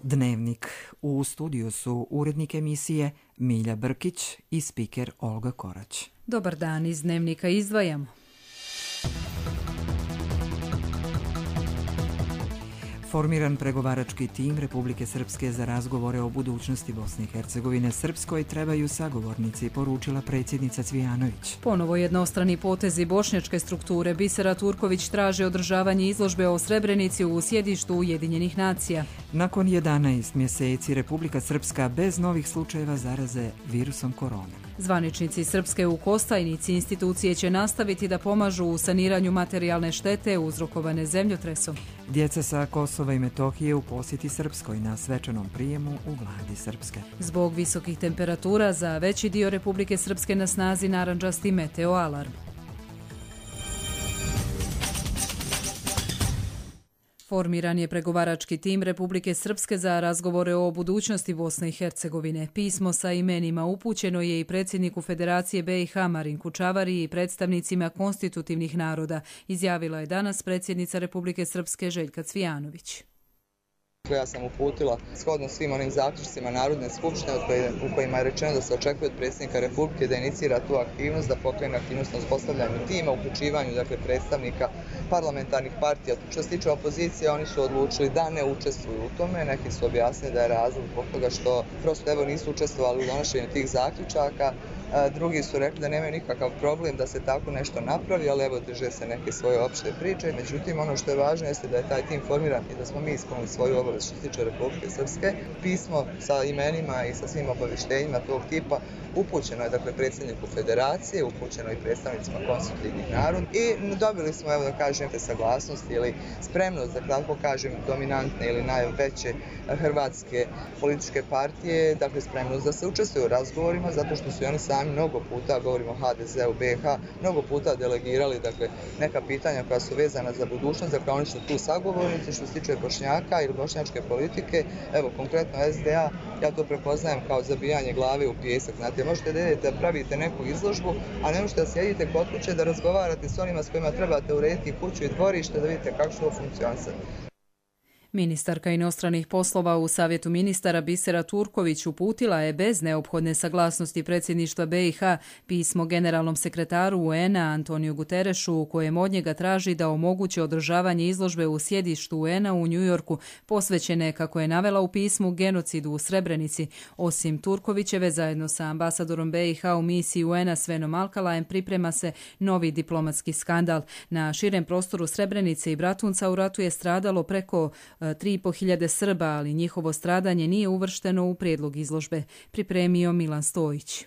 Dnevnik. U studiju su urednik emisije Milja Brkić i spiker Olga Korać. Dobar dan, iz Dnevnika izdvajamo. Formiran pregovarački tim Republike Srpske za razgovore o budućnosti Bosne i Hercegovine Srpskoj trebaju sagovornici, poručila predsjednica Cvijanović. Ponovo jednostrani potezi bošnjačke strukture. Bisera Turković traži održavanje izložbe o Srebrenici u sjedištu Ujedinjenih nacija. Nakon 11 mjeseci Republika Srpska bez novih slučajeva zaraze virusom korona. Zvaničnici Srpske u Kostajnici institucije će nastaviti da pomažu u saniranju materijalne štete uzrokovane zemljotresom. Djeca sa Kosova i Metohije u posjeti Srpskoj na svečanom prijemu u vladi Srpske. Zbog visokih temperatura za veći dio Republike Srpske na snazi narandžasti meteo alarm. Formiran je pregovarački tim Republike Srpske za razgovore o budućnosti Bosne i Hercegovine. Pismo sa imenima upućeno je i predsjedniku Federacije BiH Marinku Čavari i predstavnicima konstitutivnih naroda, izjavila je danas predsjednica Republike Srpske Željka Cvijanović. Ja sam uputila shodno svim onim zaključcima Narodne skupštine u kojima je rečeno da se očekuje od predsjednika Republike da inicira tu aktivnost, da pokrene aktivnost na uspostavljanju tima, uključivanju predstavnika parlamentarnih partija. Što se tiče opozicije, oni su odlučili da ne učestvuju u tome. Neki su objasnili da je razlog zbog toga što prosto nisu učestvovali u donošenju tih zaključaka. Drugi su rekli da nemaju nikakav problem da se tako nešto napravi, ali drže se neke svoje opšte priče. Međutim, ono što je važno jeste da je taj tim formiran i da smo mi ispunili svoju obavez što se tiče Republike Srpske. Pismo sa imenima i sa svim obavještenjima tog tipa upućeno je predsjedniku Federacije, upućeno i predstavnicima konstitutivnih naroda i dobili smo, saglasnost ili spremnost, da tako kažem, dominantne ili najveće hrvatske političke partije, spremnost da se učestvuju u razgovorima, zato što su i oni sami mnogo puta, govorimo o HDZ-u BiH, mnogo puta delegirali neka pitanja koja su vezana za budućnost, oni su tu sagovornici. Što se tiče Bošnjaka ili bošnjačke politike, konkretno SDA, ja to prepoznajem kao zabijanje glave u pijesak. Možete da idete da pravite neku izložbu, a ne možete da sjedite kod kuće da razgovarate s onima s kojima trebate urediti kuću i dvorište, da vidite kako će to funkcionisati. Ministarka inostranih poslova u Savjetu ministara Bisera Turković uputila je bez neophodne saglasnosti predsjedništva BiH pismo generalnom sekretaru UN-a Antoniju Guterešu u kojem od njega traži da omogući održavanje izložbe u sjedištu UN-a u Njujorku posvećene, kako je navela u pismu, genocidu u Srebrenici. Osim Turkovićeve, zajedno sa ambasadorom BiH u misiji UN-a Svenom Alkalajem priprema se novi diplomatski skandal. Na širem prostoru Srebrenice i Bratunca u ratu je stradalo preko 3.500 Srba, ali njihovo stradanje nije uvršteno u prijedlog izložbe, pripremio Milan Stojić.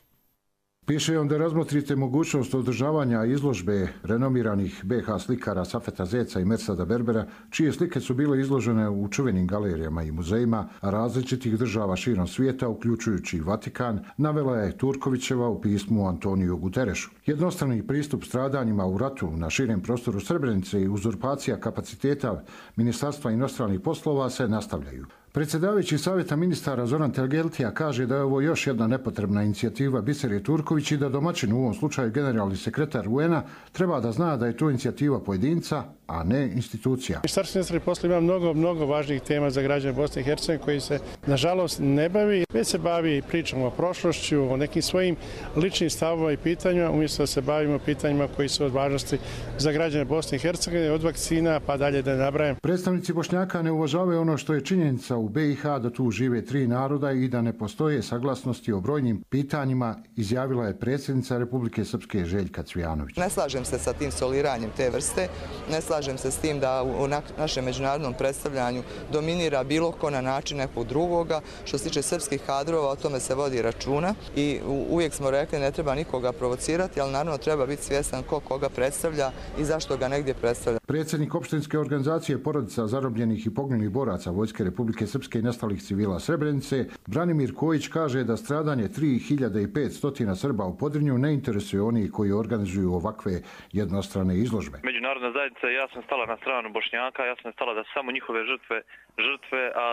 Piše on da razmotrite mogućnost održavanja izložbe renomiranih BiH slikara Safeta Zeca i Mersada Berbera, čije slike su bile izložene u čuvenim galerijama i muzejima različitih država širom svijeta, uključujući Vatikan, navela je Turkovićeva u pismu Antoniju Guterešu. Jednostrani pristup stradanjima u ratu na širem prostoru Srebrenice i uzurpacija kapaciteta Ministarstva inostranih poslova se nastavljaju. Predsjedavajući Savjeta ministara Zoran Telgeltija kaže da je ovo još jedna nepotrebna inicijativa Bisere Turković i da domaćin, u ovom slučaju generalni sekretar UN-a, treba da zna da je to inicijativa pojedinca, a ne institucija. Ministarstvo inostranih poslova ima mnogo važnih tema za građane Bosne i Hercegovine koji se, nažalost, ne bavi, već se bavi pričom o prošlošću, o nekim svojim ličnim stavovima i pitanjima, umjesto da se bavimo pitanjima koji su od važnosti za građane Bosne i Hercegovine, od vakcina pa dalje da ne nabrajam. Predstavnici Bošnjaka ne uvažavaju ono što je činjenica u BiH, da tu žive 3 naroda i da ne postoje saglasnosti o brojnim pitanjima, izjavila je predsjednica Republike Srpske Željka Cvijanović. Ne slažem se sa tim soliranjem te vrste, ne slažem se s tim da u našem međunarodnom predstavljanju dominira bilo ko na način nekog drugoga. Što se tiče srpskih kadrova, o tome se vodi računa i uvijek smo rekli ne treba nikoga provocirati, ali naravno treba biti svjestan ko koga predstavlja i zašto ga negdje predstavlja. Predsjednik opštinske organizacije porodica zarobljenih i poginulih boraca Vojske Republike Srpske i nestalih civila Srebrenice, Branimir Kojić, kaže da stradanje 3500 Srba u Podrinju ne interesuje oni koji organizuju ovakve jednostrane izložbe. Međunarodna zajednica je sam stala na stranu Bošnjaka, jasno je stala da su samo njihove žrtve, a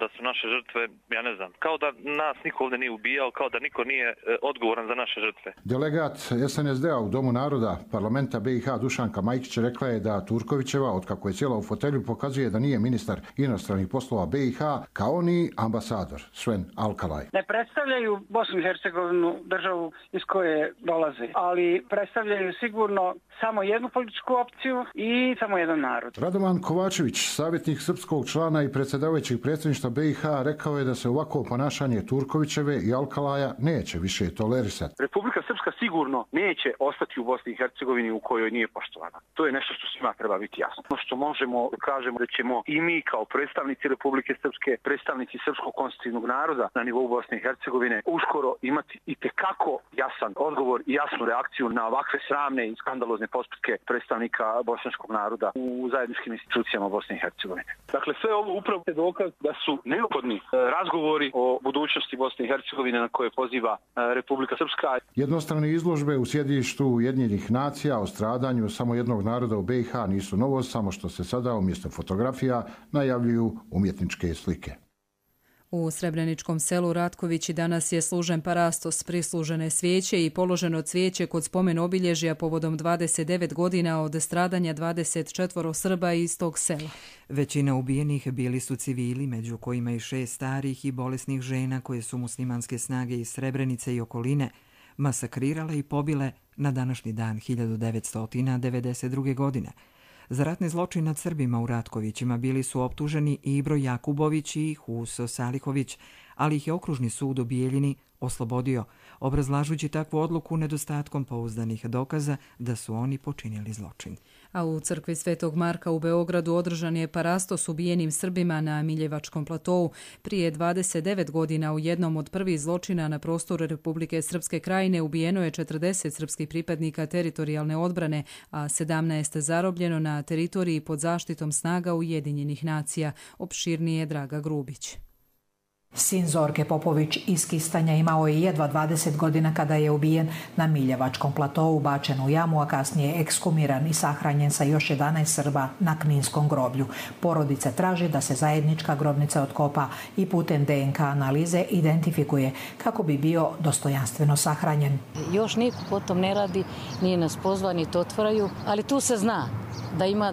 da su naše žrtve, ja ne znam, kao da nas niko ovdje nije ubijao, kao da niko nije odgovoran za naše žrtve. Delegat SNSD-a u Domu naroda parlamenta BiH Dušanka Majkić rekla je da Turkovićeva, otkako je sjela u fotelju, pokazuje da nije ministar inostranih poslova BiH, kao ni ambasador Sven Alkalaj. Ne predstavljaju Bosnu i Hercegovinu, državu iz koje dolaze, ali predstavljaju sigurno samo jednu političku opciju i samo jedan narod. Radovan Kovačević, savjetnik srpskog člana i predsjedavajućeg predsjedništva BiH, rekao je da se ovako ponašanje Turkovićeve i Alkalaja neće više tolerisati. Republika Srpska sigurno neće ostati u Bosni i Hercegovini u kojoj nije poštovana. To je nešto što svima treba biti jasno. Ono što možemo kažemo da ćemo i mi kao predstavnici Republike Srpske, predstavnici srpskog konstitutivnog naroda na nivou Bosne i Hercegovine uskoro imati itekako jasan odgovor i jasnu reakciju na ovakve sramne i skandalozne postupke predstavnika bošnjačkog naroda u zajedničkim institucijama Bosne i Hercegovine. Dakle, sve ovo upravo je dokaz da su neophodni razgovori o budućnosti Bosne i Hercegovine na koje poziva Republika Srpska. Jednostrane izložbe u sjedištu Ujedinjenih nacija o stradanju samo jednog naroda u BiH nisu novost, samo što se sada umjesto fotografija najavljuju umjetničke slike. U Srebreničkom selu Ratkovići danas je služen parastos, prislužene svijeće i položeno cvijeće kod spomen obilježja povodom 29 godina od stradanja 24 Srba iz tog sela. Većina ubijenih bili su civili, među kojima i 6 starih i bolesnih žena koje su muslimanske snage iz Srebrenice i okoline masakrirale i pobile na današnji dan 1992. godine. Za ratni zločin nad Srbima u Ratkovićima bili su optuženi Ibro Jakubović i Huso Salihović, ali ih je okružni sud u Bijeljini oslobodio, obrazlažući takvu odluku nedostatkom pouzdanih dokaza da su oni počinili zločin. A u crkvi Svetog Marka u Beogradu održan je parastos ubijenim Srbima na Miljevačkom platovu. Prije 29 godina u jednom od prvih zločina na prostoru Republike Srpske krajine ubijeno je 40 srpskih pripadnika teritorijalne odbrane, a 17 zarobljeno na teritoriji pod zaštitom snaga Ujedinjenih nacija. Opširnije Draga Grubić. Sin Zorke Popović iz Kistanja imao je jedva 20 godina kada je ubijen na Miljevačkom platovu, bačen u jamu, a kasnije ekshumiran i sahranjen sa još 11 Srba na Kninskom groblju. Porodica traži da se zajednička grobnica otkopa i putem DNK analize identifikuje kako bi bio dostojanstveno sahranjen. Još niko potom ne radi, nije nas pozvani, to otvaraju, ali tu se zna da ima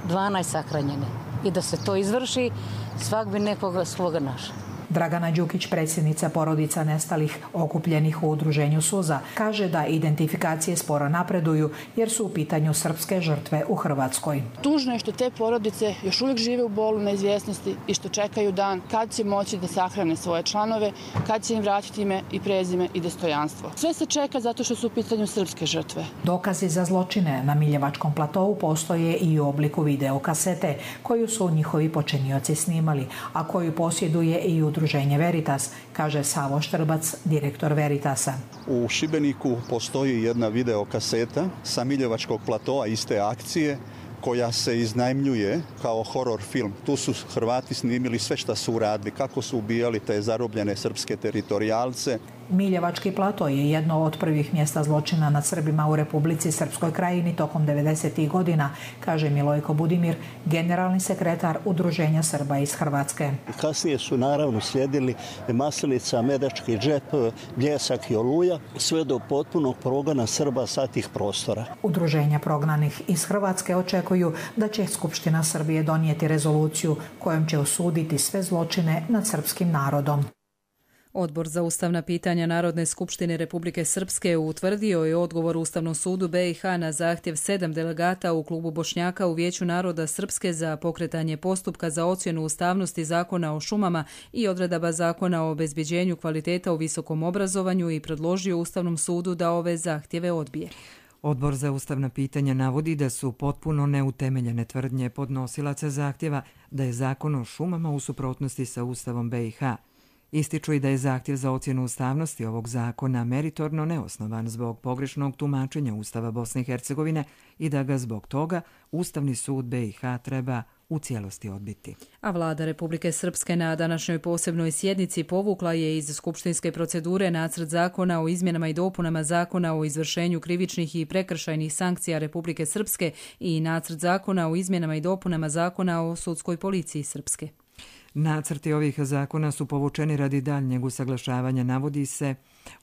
12 sahranjene i da se to izvrši, svak bi nekoga svoga našao. Dragana Đukić, predsjednica porodica nestalih okupljenih u udruženju Suza, kaže da identifikacije sporo napreduju jer su u pitanju srpske žrtve u Hrvatskoj. Tužno je što te porodice još uvijek žive u bolu neizvjesnosti i što čekaju dan kad će moći da sahrane svoje članove, kad će im vratiti ime i prezime i dostojanstvo. Sve se čeka zato što su u pitanju srpske žrtve. Dokazi za zločine na Miljevačkom platovu postoje i u obliku videokasete koju su njihovi počinioci snimali, a koju posjeduje i udruženje Veritas, kaže Savo Štrbac, direktor Veritasa. U Šibeniku postoji jedna videokaseta sa Miljevačkog platoa iste akcije koja se iznajmljuje kao horor film. Tu su Hrvati snimili sve što su uradili, kako su ubijali te zarobljene srpske teritorijalce. Miljevački plato je jedno od prvih mjesta zločina nad Srbima u Republici Srpskoj krajini tokom 90. godina, kaže Milojko Budimir, generalni sekretar Udruženja Srba iz Hrvatske. Kasnije su naravno slijedili Maslinica, Medački džep, Bljesak i Oluja, sve do potpunog progona Srba sa tih prostora. Udruženja prognanih iz Hrvatske očekuju da će Skupština Srbije donijeti rezoluciju kojom će osuditi sve zločine nad srpskim narodom. Odbor za ustavna pitanja Narodne skupštine Republike Srpske utvrdio je odgovor Ustavnom sudu BiH na zahtjev 7 delegata u klubu Bošnjaka u Vijeću naroda Srpske za pokretanje postupka za ocjenu ustavnosti Zakona o šumama i odredaba Zakona o obezbeđenju kvaliteta u visokom obrazovanju i predložio Ustavnom sudu da ove zahtjeve odbije. Odbor za ustavna pitanja navodi da su potpuno neutemeljene tvrdnje podnosilaca zahtjeva da je Zakon o šumama u suprotnosti sa Ustavom BiH. Ističu i da je zahtjev za ocjenu ustavnosti ovog zakona meritorno neosnovan zbog pogrešnog tumačenja Ustava Bosne i Hercegovine i da ga zbog toga Ustavni sud BiH treba u cijelosti odbiti. A vlada Republike Srpske na današnjoj posebnoj sjednici povukla je iz skupštinske procedure nacrt zakona o izmjenama i dopunama zakona o izvršenju krivičnih i prekršajnih sankcija Republike Srpske i nacrt zakona o izmjenama i dopunama zakona o sudskoj policiji Srpske. Nacrti ovih zakona su povučeni radi daljnjeg usaglašavanja, navodi se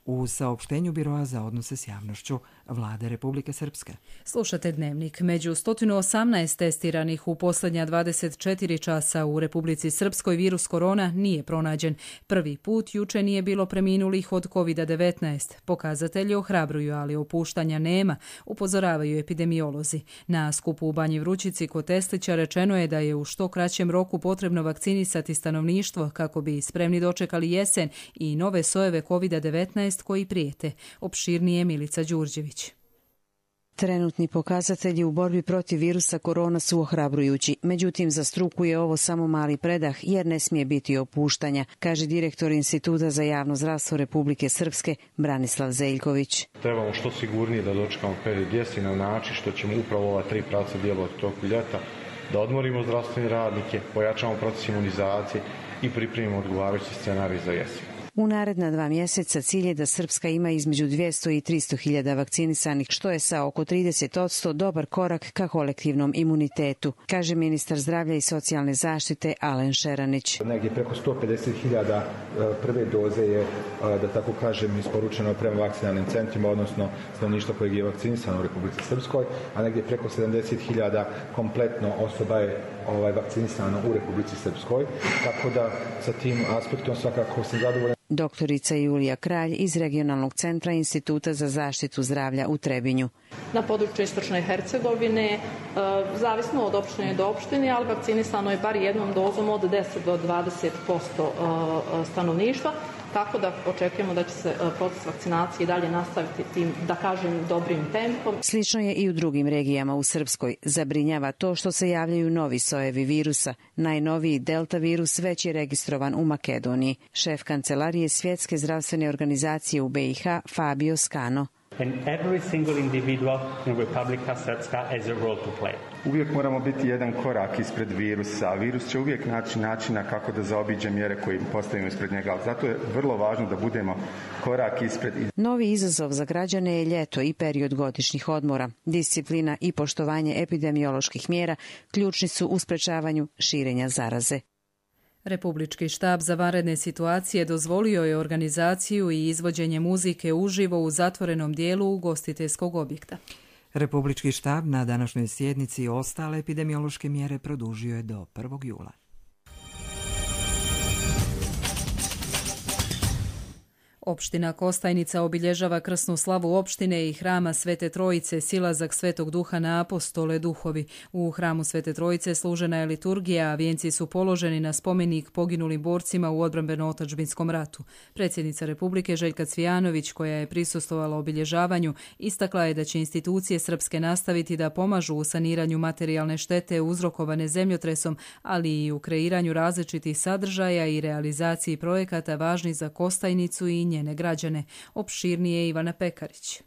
u saopštenju Biroa za odnose s javnošću vlade Republike Srpske. Slušate Dnevnik. Među 118 testiranih u posljednja 24 časa u Republici Srpskoj virus korona nije pronađen. Prvi put juče nije bilo preminulih od COVID-19. Pokazatelji ohrabruju, ali opuštanja nema, upozoravaju epidemiolozi. Na skupu u Banji Vrućici kod Teslića rečeno je da je u što kraćem roku potrebno vakcinisati stanovništvo kako bi spremni dočekali jesen i nove sojeve COVID-19 koji prijete. Opširnije Milica Đurđević. Trenutni pokazatelji u borbi protiv virusa korona su ohrabrujući. Međutim, za struku je ovo samo mali predah jer ne smije biti opuštanja, kaže direktor Instituta za javno zdravstvo Republike Srpske Branislav Zeljković. Trebamo što sigurnije da dočekamo period jeseni na način što ćemo upravo ova 3 pravca djelovati toku ljeta, da odmorimo zdravstvene radnike, pojačamo proces imunizacije i pripremimo odgovarajući scenarij za jesen. U naredna 2 mjeseca cilj je da Srpska ima između 200 i 300 hiljada vakcinisanih, što je sa oko 30% dobar korak ka kolektivnom imunitetu, kaže ministar zdravlja i socijalne zaštite Alen Šeranić. Negdje preko 150 hiljada prve doze je, da tako kažem, isporučeno prema vakcinalnim centrima, odnosno stanovništvo kojeg je vakcinisano u Republici Srpskoj, a negdje preko 70 hiljada kompletno osoba je vakcinisano u Republici Srpskoj, tako da sa tim aspektom svakako sam zadovoljan. Doktorica Julija Kralj iz Regionalnog centra Instituta za zaštitu zdravlja u Trebinju. Na području Istočne Hercegovine, zavisno od opštine do opštine, ali vakcinisano je bar jednom dozom od 10 do 20% stanovništva, tako da očekujemo da će se proces vakcinacije dalje nastaviti tim, da kažem, dobrim tempom. Slično je i u drugim regijama u Srpskoj. Zabrinjava to što se javljaju novi sojevi virusa. Najnoviji delta virus već je registrovan u Makedoniji. Šef kancelarije Svjetske zdravstvene organizacije u BiH Fabio Scano. Uvijek moramo biti jedan korak ispred virusa. Virus će uvijek naći načina kako da zaobiđe mjere koje postavimo ispred njega. Zato je vrlo važno da budemo korak ispred. Novi izazov za građane je ljeto i period godišnjih odmora. Disciplina i poštovanje epidemioloških mjera ključni su u sprečavanju širenja zaraze. Republički štab za vanredne situacije dozvolio je organizaciju i izvođenje muzike uživo u zatvorenom dijelu ugostiteljskog objekta. Republički štab na današnjoj sjednici ostale epidemiološke mjere produžio je do 1. jula. Opština Kostajnica obilježava krsnu slavu opštine i hrama Svete Trojice, silazak Svetog Duha na apostole duhovi. U hramu Svete Trojice služena je liturgija, a vijenci su položeni na spomenik poginulim borcima u odbrambeno-otadžbinskom ratu. Predsjednica Republike Željka Cvijanović, koja je prisustvovala obilježavanju, istakla je da će institucije srpske nastaviti da pomažu u saniranju materijalne štete uzrokovane zemljotresom, ali i u kreiranju različitih sadržaja i realizaciji projekata važnih za Kostajnicu i njene građane. Opširnije Ivana Pekarić.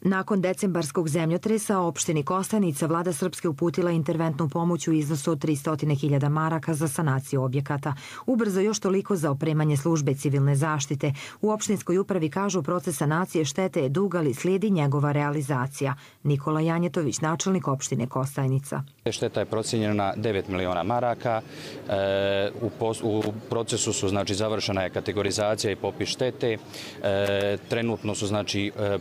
Nakon decembarskog zemljotresa opštini Kostajnica vlada Srpske uputila interventnu pomoć u iznosu od 300.000 maraka za sanaciju objekata. Ubrzo još toliko za opremanje službe civilne zaštite. U opštinskoj upravi kažu proces sanacije štete je dug, ali slijedi njegova realizacija. Nikola Janjetović, načelnik opštine Kostajnica. Šteta je procijenjena na 9 miliona maraka. U procesu su završena je kategorizacija i popis štete. Trenutno su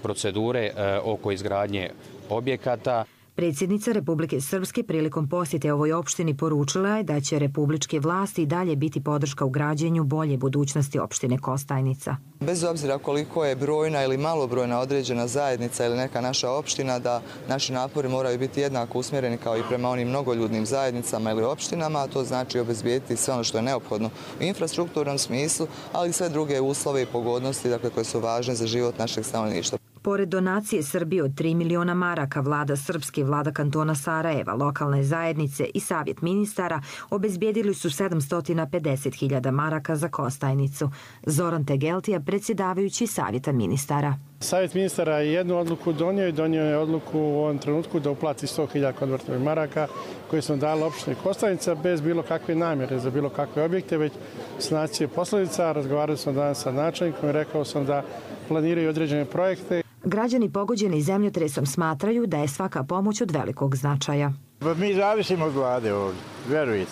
procedure oko izgradnje objekata. Predsjednica Republike Srpske prilikom posjete ovoj opštini poručila je da će republičke vlasti i dalje biti podrška u građenju bolje budućnosti opštine Kostajnica. Bez obzira koliko je brojna ili malobrojna određena zajednica ili neka naša opština, da naši napori moraju biti jednako usmjereni kao i prema onim mnogoljudnim zajednicama ili opštinama, a to znači obezbijediti sve ono što je neophodno u infrastrukturnom smislu, ali i sve druge uslove i pogodnosti koje su važne za život našeg stanovništva. Pored donacije Srbije od 3 miliona maraka, vlada Srpske, vlada kantona Sarajeva, lokalne zajednice i savjet ministara obezbijedili su 750.000 maraka za Kostajnicu. Zoran Tegeltija, predsjedavajući savjeta ministara. Savjet ministara je jednu odluku donio je odluku u ovom trenutku da uplati 100.000 konvertovih maraka koje smo dali opštini Kostajnica bez bilo kakve namjere za bilo kakve objekte, već sanacije posljedica. Razgovarali smo danas sa načelnikom i rekao sam da planiraju određene projekte. Građani pogođeni zemljotresom smatraju da je svaka pomoć od velikog značaja. Mi zavisimo od vlade ovdje, verujete.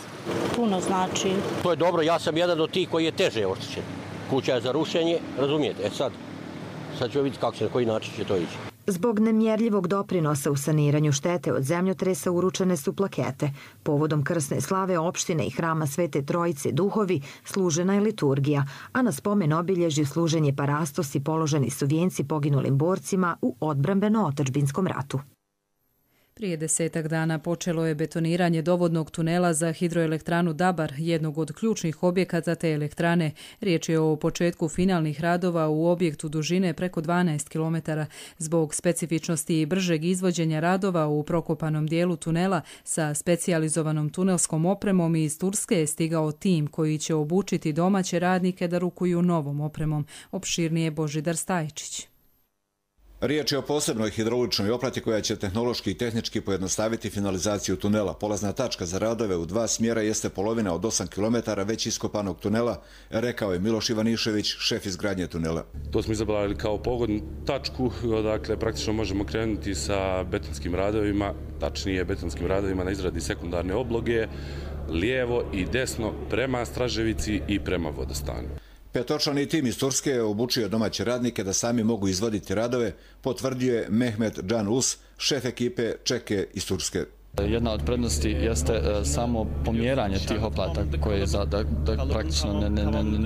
Puno znači. To je dobro, ja sam jedan od tih koji je teže oštećen. Kuća je za rušenje, razumijete, sad ćemo vidjeti kako se, na koji način će to ići. Zbog nemjerljivog doprinosa u saniranju štete od zemljotresa uručene su plakete. Povodom krsne slave opštine i hrama Svete Trojice Duhovi služena je liturgija, a na spomen obilježju služen je parastos i položeni su vijenci poginulim borcima u odbrambeno-otadžbinskom ratu. Prije 10 dana počelo je betoniranje dovodnog tunela za hidroelektranu Dabar, jednog od ključnih objekata te elektrane. Riječ je o početku finalnih radova u objektu dužine preko 12 km. Zbog specifičnosti i bržeg izvođenja radova u prokopanom dijelu tunela sa specijalizovanom tunelskom opremom iz Turske je stigao tim koji će obučiti domaće radnike da rukuju novom opremom. Opširnije Božidar Stajčić. Riječ je o posebnoj hidrauličnoj oprati koja će tehnološki i tehnički pojednostaviti finalizaciju tunela. Polazna tačka za radove u dva smjera jeste polovina od 8 km već iskopanog tunela, rekao je Miloš Ivanišević, šef izgradnje tunela. To smo izabrali kao pogodnu tačku, dakle praktično možemo krenuti sa betonskim radovima, tačnije betonskim radovima na izradi sekundarne obloge, lijevo i desno prema Straževici i prema Vodostanu. Petočlani tim iz Turske je obučio domaće radnike da sami mogu izvoditi radove, potvrdio je Mehmet Can Us, šef ekipe Čeke iz Turske. Jedna od prednosti jeste samo pomjeranje tih oplata koje da praktično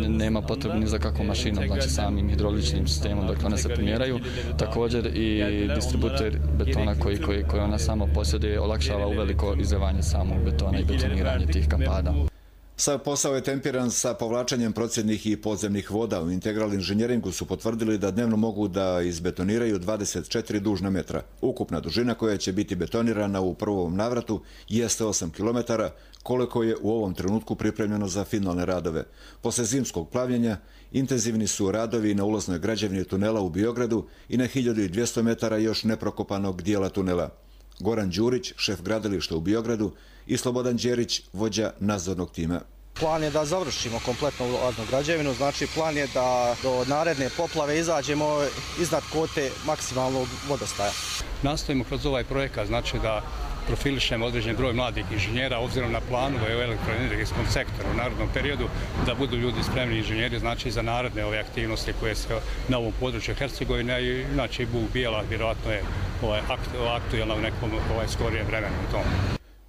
nema potrebe ni za kakvom mašinom, znači samim hidroličnim sistemom, dakle one se pomjeraju. Također i distributer betona koji ona samo posjeduje olakšava uveliko izlevanje samog betona i betoniranje tih kampada. Sav posao je tempiran sa povlačenjem procjednih i podzemnih voda. U Integral inženjeringu su potvrdili da dnevno mogu da izbetoniraju 24 dužna metra. Ukupna dužina koja će biti betonirana u prvom navratu jeste 8 km, koliko je u ovom trenutku pripremljeno za finalne radove. Posle zimskog plavljenja intenzivni su radovi na ulaznoj građevini tunela u Biogradu i na 1200 metara još neprokopanog dijela tunela. Goran Đurić, šef gradilišta u Biogradu, i Slobodan Đerić, vođa nadzornog tima. Plan je da završimo kompletno ulaznu građevinu, znači plan je da do naredne poplave izađemo iznad kote maksimalnog vodostaja. Nastojimo kroz ovaj projekat, znači da profilišemo određen broj mladih inženjera obzirom na planove u elektroenergetskom sektoru u narednom periodu, da budu ljudi spremni inženjeri, znači za naredne ove aktivnosti koje se na ovom području Hercegovine i znači Bug Bijela vjerojatno je aktuelna u nekom skorijem vremenu u tom.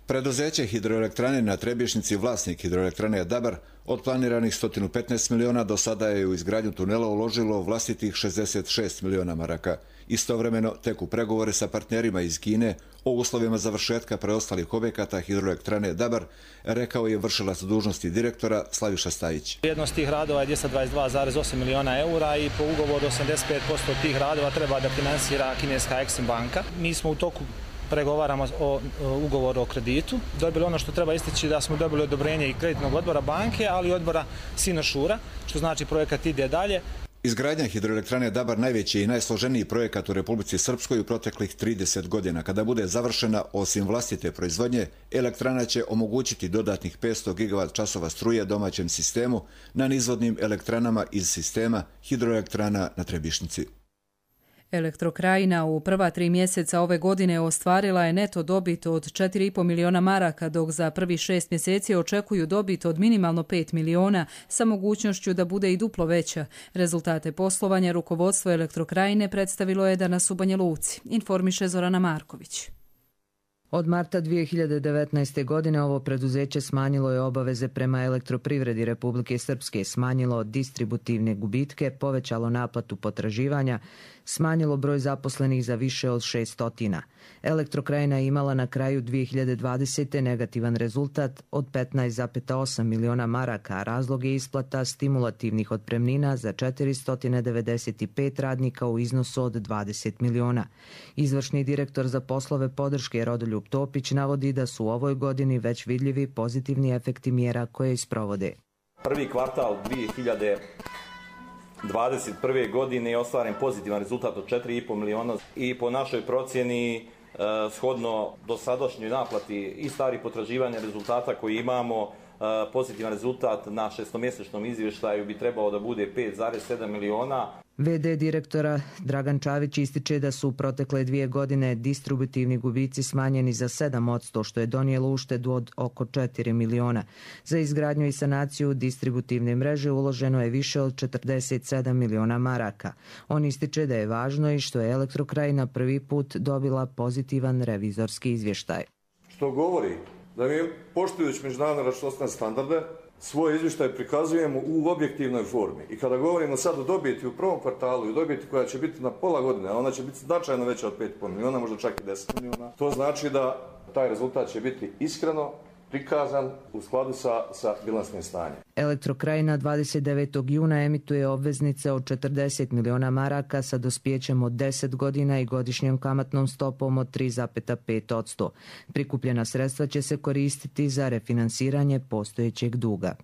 Preduzeće hidroelektrane na Trebješnjici, vlasnik hidroelektrane Dabar, od planiranih 115 miliona do sada je u izgradnju tunela uložilo vlastitih 66 miliona maraka. Istovremeno teku pregovore sa partnerima iz Kine o uslovima završetka preostalih objekata hidroelektrane Dabar, rekao je vršilac dužnosti direktora Slaviša Stajić. Vrijednost tih radova je 222,8 miliona eura i po ugovoru 85% tih radova treba da finansira kineska Exim banka. Mi smo u toku pregovaramo o ugovoru o kreditu. Dobili ono što treba istići da smo dobili odobrenje i kreditnog odbora banke, ali i odbora Sinošura, što znači projekat ide dalje. Izgradnja hidroelektrane Dabar najveći i najsloženiji projekat u Republici Srpskoj u proteklih 30 godina. Kada bude završena, osim vlastite proizvodnje, elektrana će omogućiti dodatnih 500 gigavat-časova struje domaćem sistemu na nizvodnim elektranama iz sistema hidroelektrana na Trebišnici. Elektrokrajina u prva 3 mjeseca ove godine ostvarila je neto dobit od 4,5 miliona maraka, dok za prvi 6 mjeseci očekuju dobit od minimalno 5 miliona sa mogućnošću da bude i duplo veća. Rezultate poslovanja rukovodstvo Elektrokrajine predstavilo je danas u Banja Luci, informiše Zorana Marković. Od marta 2019. godine ovo preduzeće smanjilo je obaveze prema Elektroprivredi Republike Srpske, smanjilo distributivne gubitke, povećalo naplatu potraživanja, smanjilo broj zaposlenih za više od 600. Elektrokrajina je imala na kraju 2020. negativan rezultat od 15,8 miliona maraka, a razlog je isplata stimulativnih otpremnina za 495 radnika u iznosu od 20 miliona. Izvršni direktor za poslove podrške Rodoljub Topić navodi da su u ovoj godini već vidljivi pozitivni efekti mjera koje isprovode. Prvi kvartal 2021. godine je ostvaren pozitivan rezultat od 4,5 miliona i po našoj procjeni shodno dosadašnjoj naplati i starih potraživanja rezultata koji imamo, pozitivan rezultat na šestomjesečnom izvještaju bi trebao da bude 5,7 miliona. VD direktora Dragan Čavić ističe da su u protekle 2 godine distributivni gubici smanjeni za 7%, što je donijelo uštedu od oko 4 miliona. Za izgradnju i sanaciju distributivne mreže uloženo je više od 47 miliona maraka. On ističe da je važno i što je Elektrokrajina prvi put dobila pozitivan revizorski izvještaj. Što govori da mi, poštujući međunarodne računovodstvene standarde, svoj izvještaj prikazujemo u objektivnoj formi. I kada govorimo sad o dobiti u prvom kvartalu i dobiti koja će biti na pola godine, a ona će biti značajno veća od 5,5 miliona, možda čak i 10 miliona, to znači da taj rezultat će biti iskreno prikazan u skladu sa bilansnim stanjem. Elektrokrajina 29. juna emituje obveznice od 40 miliona maraka sa dospijećem od 10 godina i godišnjom kamatnom stopom od 3,5%. Prikupljena sredstva će se koristiti za refinansiranje postojećeg duga.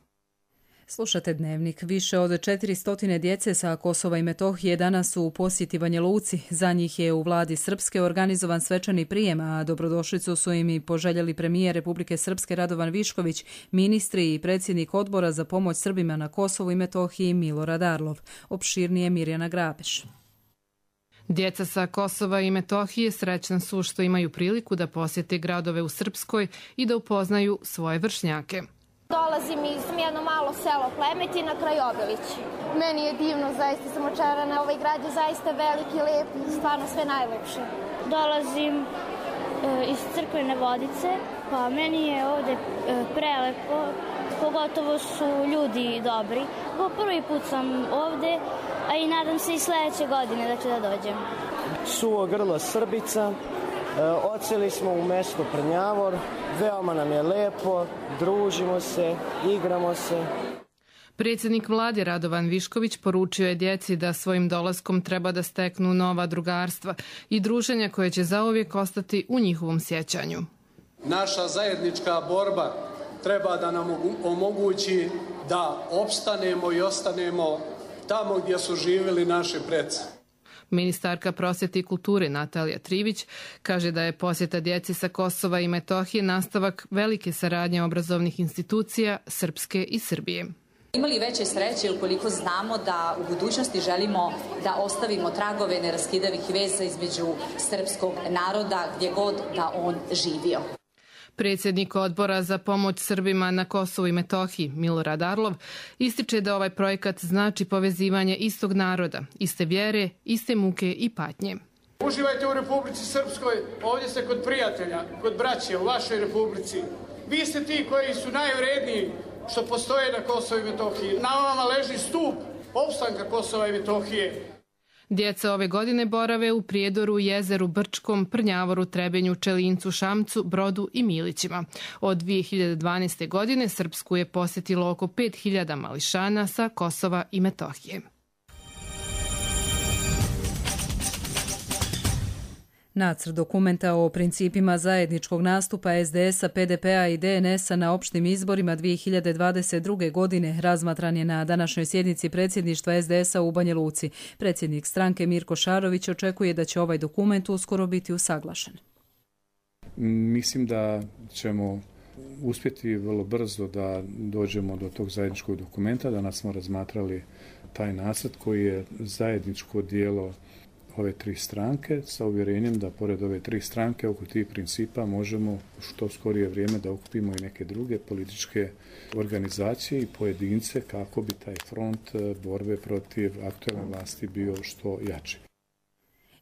Slušate Dnevnik. Više od 400 djece sa Kosova i Metohije danas su u posjeti Banja Luci. Za njih je u vladi Srpske organizovan svečani prijem, a dobrodošlicu su im i poželjeli premijer Republike Srpske Radovan Višković, ministri i predsjednik odbora za pomoć Srbima na Kosovu i Metohiji Milorad Arlov. Opširnije Mirjana Grabeš. Djeca sa Kosova i Metohije srećna su što imaju priliku da posjete gradove u Srpskoj i da upoznaju svoje vršnjake. Dolazim iz jedno malo selo Plemetina, kraj Obilić. Meni je divno, zaista sam očarana. Ovaj grad je zaista veliki, lijep, stvarno sve najlepše. Dolazim iz Crkvene Vodice, pa meni je ovde prelepo, pogotovo su ljudi dobri. Po prvi put sam ovde, a i nadam se i sledeće godine da ću da dođem. Suvo grlo Srbica. Odseli smo u mesto Prnjavor, veoma nam je lepo, družimo se, igramo se. Predsjednik vlade Radovan Višković poručio je djeci da svojim dolaskom treba da steknu nova drugarstva i druženja koje će zauvijek ostati u njihovom sjećanju. Naša zajednička borba treba da nam omogući da opstanemo i ostanemo tamo gdje su živjeli naši preci. Ministarka prosvjete i kulture Natalija Trivić kaže da je posjeta djeci sa Kosova i Metohije nastavak velike saradnje obrazovnih institucija Srpske i Srbije. Imali veće sreće ukoliko znamo da u budućnosti želimo da ostavimo tragove neraskidavih veza između srpskog naroda gdje god da on živio. Predsjednik odbora za pomoć Srbima na Kosovu i Metohiji Milorad Arlov ističe da ovaj projekat znači povezivanje istog naroda, iste vjere, iste muke i patnje. Uživajte u Republici Srpskoj, ovdje ste kod prijatelja, kod braće u vašoj Republici. Vi ste ti koji su najvredniji što postoje na Kosovu i Metohiji. Na vama leži stup opstanka Kosova i Metohije. Djeca ove godine borave u Prijedoru, Jezeru, Brčkom, Prnjavoru, Trebenju, Čelincu, Šamcu, Brodu i Milićima. Od 2012. godine Srpsku je posjetilo oko 5000 mališana sa Kosova i Metohije. Nacrt dokumenta o principima zajedničkog nastupa SDS-a, PDP-a i DNS-a na opštim izborima 2022. godine razmatran je na današnjoj sjednici predsjedništva SDS-a u Banja Luci. Predsjednik stranke Mirko Šarović očekuje da će ovaj dokument uskoro biti usaglašen. Mislim da ćemo uspjeti vrlo brzo da dođemo do tog zajedničkog dokumenta. Danas smo razmatrali taj nacrt koji je zajedničko dijelo ove tri stranke sa uvjerenjem da pored ove tri stranke oko tih principa možemo u što skorije vrijeme da okupimo i neke druge političke organizacije i pojedince kako bi taj front borbe protiv aktualne vlasti bio što jači.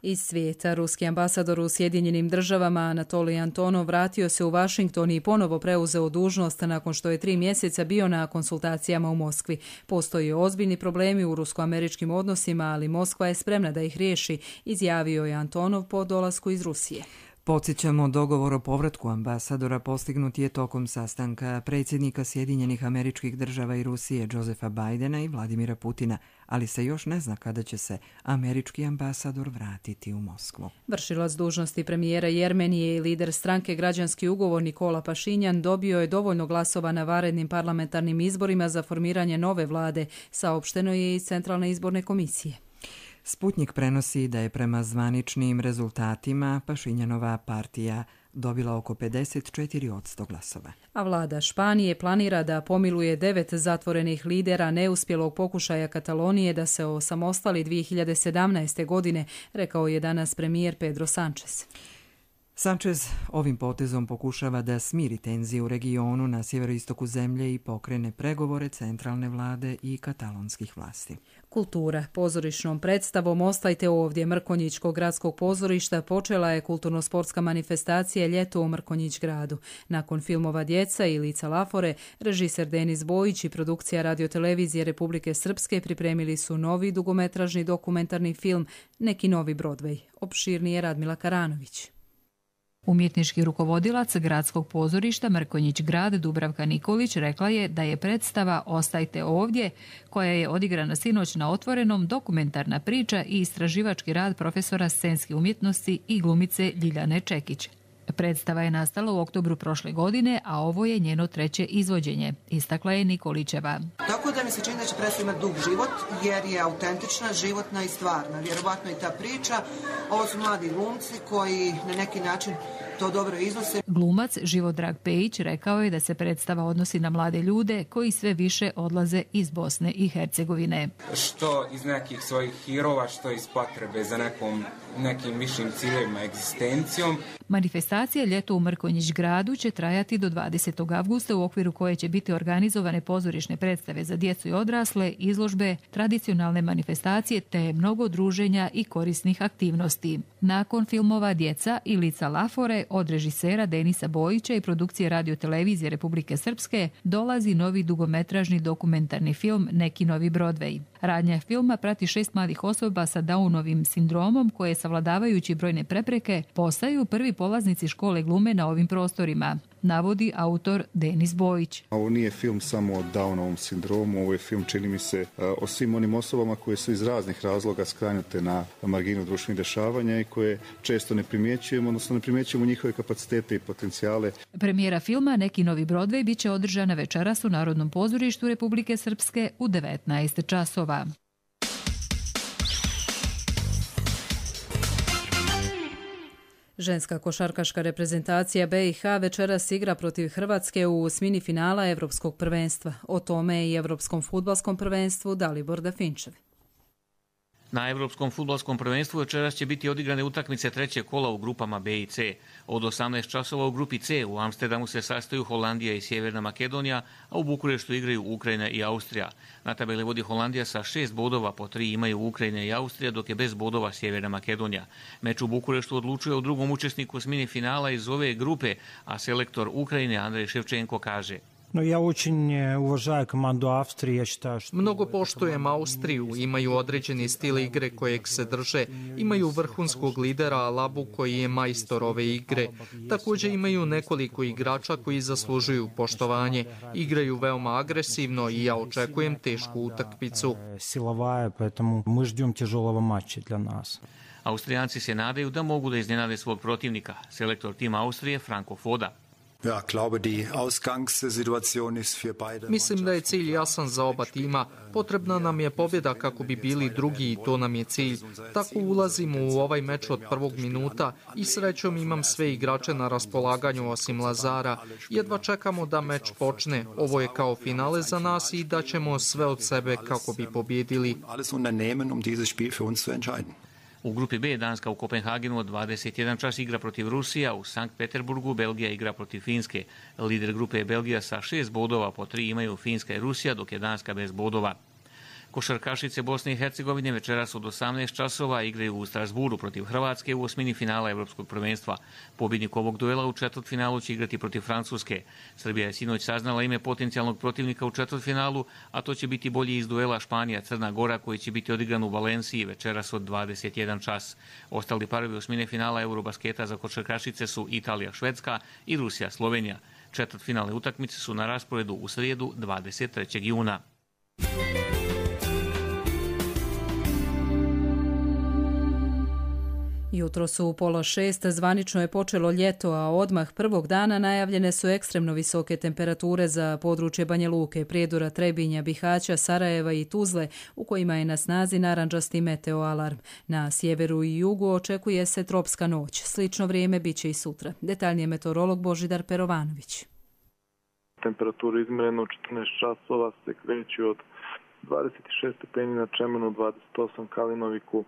Iz svijeta, ruski ambasador u Sjedinjenim državama Anatolij Antonov vratio se u Washington i ponovo preuzeo dužnost nakon što je 3 mjeseca bio na konsultacijama u Moskvi. Postoje ozbiljni problemi u rusko-američkim odnosima, ali Moskva je spremna da ih riješi, izjavio je Antonov po dolasku iz Rusije. Podsjećamo, dogovor o povratku ambasadora postignut je tokom sastanka predsjednika Sjedinjenih Američkih Država i Rusije Josefa Bidena i Vladimira Putina, ali se još ne zna kada će se američki ambasador vratiti u Moskvu. Vršilac dužnosti premijera Jermenije i lider stranke Građanski ugovor Nikola Pašinjan dobio je dovoljno glasova na vanrednim parlamentarnim izborima za formiranje nove vlade, saopšteno je iz Centralne izborne komisije. Sputnik prenosi da je prema zvaničnim rezultatima Pašinjanova partija dobila oko 54% glasova. A vlada Španije planira da pomiluje 9 zatvorenih lidera neuspjelog pokušaja Katalonije da se osamostali 2017. godine, rekao je danas premijer Pedro Sánchez. Sánchez ovim potezom pokušava da smiri tenzije u regionu na sjeveroistoku zemlje i pokrene pregovore centralne vlade i katalonskih vlasti. Kultura. Pozorišnom predstavom Ostajte ovdje Mrkonjićkog gradskog pozorišta počela je kulturno-sportska manifestacija Ljeto u Mrkonjić gradu. Nakon filmova Djeca i Lica Lafore, režiser Denis Bojić i produkcija radiotelevizije Republike Srpske pripremili su novi dugometražni dokumentarni film Neki novi Broadway. Opširnije Radmila Karanović. Umjetnički rukovodilac gradskog pozorišta Mrkonjić grad Dubravka Nikolić rekla je da je predstava Ostajte ovdje, koja je odigrana sinoć na Otvorenom, dokumentarna priča i istraživački rad profesora scenske umjetnosti i glumice Ljiljane Čekić. Predstava je nastala u oktobru prošle godine, a ovo je njeno 3. izvođenje, istakla je Nikolićeva. Tako da mi se čini da će predstava imati dug život, jer je autentična, životna i stvarna. Vjerovatno i ta priča. Ovo su mladi glumci koji na neki način to dobro iznose. Glumac Živodrag Pejić rekao je da se predstava odnosi na mlade ljude koji sve više odlaze iz Bosne i Hercegovine. Što iz nekih svojih hirova, što iz potrebe za nekim višim ciljevima, egzistencijom. Manifestacija Ljeto u Mrkonjić gradu će trajati do 20. avgusta, u okviru koje će biti organizovane pozorišne predstave za djecu i odrasle, izložbe, tradicionalne manifestacije te mnogo druženja i korisnih aktivnosti. Nakon filmova Djeca i Lica Lafore od režisera Denisa Bojića i produkcije radiotelevizije Republike Srpske dolazi novi dugometražni dokumentarni film Neki novi Broadway. Radnja filma prati 6 mladih osoba sa Downovim sindromom koje, savladavajući brojne prepreke, postaju prvi polaznici škole glume na ovim prostorima, navodi autor Denis Bojić. Ovo nije film samo o Downovom sindromu, ovo je film, čini mi se, o svim onim osobama koje su iz raznih razloga skrenute na marginu društvenih dešavanja i koje često ne primjećujemo, odnosno ne primjećujemo njihove kapacitete i potencijale. Premijera filma Neki novi Broadway bit će održana večeras u Narodnom pozorištu Republike Srpske u 19 časova. Ženska košarkaška reprezentacija BiH večeras igra protiv Hrvatske u osmini finala Evropskog prvenstva. O tome i Evropskom fudbalskom prvenstvu Dalibor Dafinčev. Na Evropskom fudbalskom prvenstvu večeras će biti odigrane utakmice 3. kola u grupama B i C. Od 18 časova u grupi C u Amsterdamu se sastaju Holandija i Sjeverna Makedonija, a u Bukureštu igraju Ukrajina i Austrija. Na tabeli vodi Holandija sa 6 bodova, po 3 imaju Ukrajina i Austrija, dok je bez bodova Sjeverna Makedonija. Meč u Bukureštu odlučuje o drugom učesniku osmini finala iz ove grupe, a selektor Ukrajine Andrej Ševčenko kaže: Ja очень уважаю команду Австрии. Mnogo poštujem Austriju, imaju određeni stil igre kojeg se drže, imaju vrhunskog lidera Alabu koji je majstor ove igre. Također imaju nekoliko igrača koji zaslužuju poštovanje, igraju veoma agresivno i ja očekujem tešku utakmicu. Силовая, поэтому мы ждем тяжелого матча для нас. Austrijanci se nadaju da mogu da iznenade svog protivnika, selektor tima Austrije Franko Foda. Mislim da je cilj jasan za oba tima. Potrebna nam je pobjeda kako bi bili drugi i to nam je cilj. Tako ulazimo u ovaj meč od prvog minuta i srećom imam sve igrače na raspolaganju osim Lazara. Jedva čekamo da meč počne. Ovo je kao finale za nas i daćemo sve od sebe kako bi pobjedili. U grupi B Danska u Kopenhagenu od 21 čas igra protiv Rusija, u Sankt Peterburgu Belgija igra protiv Finske. Lider grupe je Belgija sa 6 bodova, po 3 imaju Finska i Rusija, dok je Danska bez bodova. Košarkašice Bosne i Hercegovine večeras od 18 časova igraju u Strasburu protiv Hrvatske u osmini finala Evropskog prvenstva. Pobjednik ovog duela u četvrtfinalu će igrati protiv Francuske. Srbija je sinoć saznala ime potencijalnog protivnika u četvrtfinalu, a to će biti bolji iz duela Španija-Crna Gora koji će biti odigran u Valenciji večeras od 21 čas. Ostali parovi osmine finala Eurobasketa za košarkašice su Italija-Švedska i Rusija-Slovenija. Četvrtfinalne utakmice su na rasporedu u srijedu 23. juna. Jutro su u 5:30, zvanično je počelo ljeto, a odmah prvog dana najavljene su ekstremno visoke temperature za područje Banja Luke, Prijedora, Trebinja, Bihaća, Sarajeva i Tuzle, u kojima je na snazi narandžasti meteoalarm. Na sjeveru i jugu očekuje se tropska noć. Slično vrijeme bit će i sutra. Detaljnije meteorolog Božidar Perovanović. Temperatura izmjerena u 14 časova se kreće od 26 stepeni na Čemenu, 28 Kalinoviku,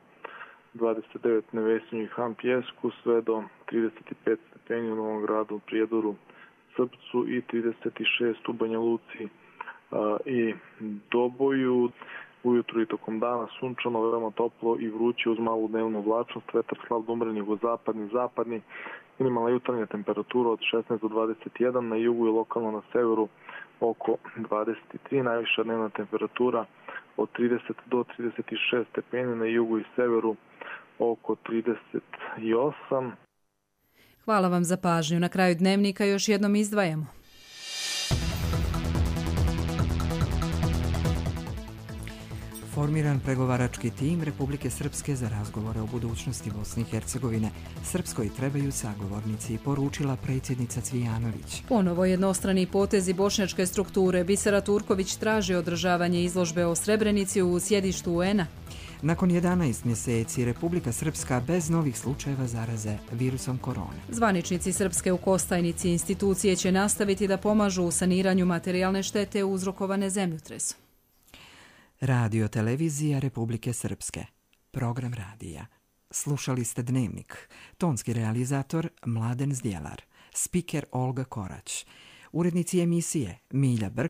29 Nevesinju i Han Pjesku, sve do 35 stepeni u Novom Gradu, Prijedoru, Srpcu i 36 u Banja Luci i Doboju. Ujutru i tokom dana sunčano, veoma toplo i vruće uz malu dnevnu oblačnost, vetar slab do umeren jugozapadni, minimalna jutarnja temperatura od 16 do 21, na jugu i lokalno na severu oko 23, najviša dnevna temperatura od 30 do 36 stepeni, na jugu i severu oko 38. Hvala vam za pažnju. Na kraju dnevnika još jednom izdvajamo. Formiran pregovarački tim Republike Srpske za razgovore o budućnosti Bosne i Hercegovine. Srpskoj trebaju sagovornici, poručila predsjednica Cvijanović. Ponovo jednostrani potezi bošnjačke strukture. Bisera Turković traži održavanje izložbe o Srebrenici u sjedištu UN-a. Nakon 11 mjeseci Republika Srpska bez novih slučajeva zaraze virusom korone. Zvaničnici Srpske u Kostajnici institucije će nastaviti da pomažu u saniranju materijalne štete uzrokovane zemljotresom. Radio televizija Republike Srpske. Program radija. Slušali ste Dnevnik. Tonski realizator Mladen Zdjelar. Spiker Olga Korać. Urednici emisije Milja Brk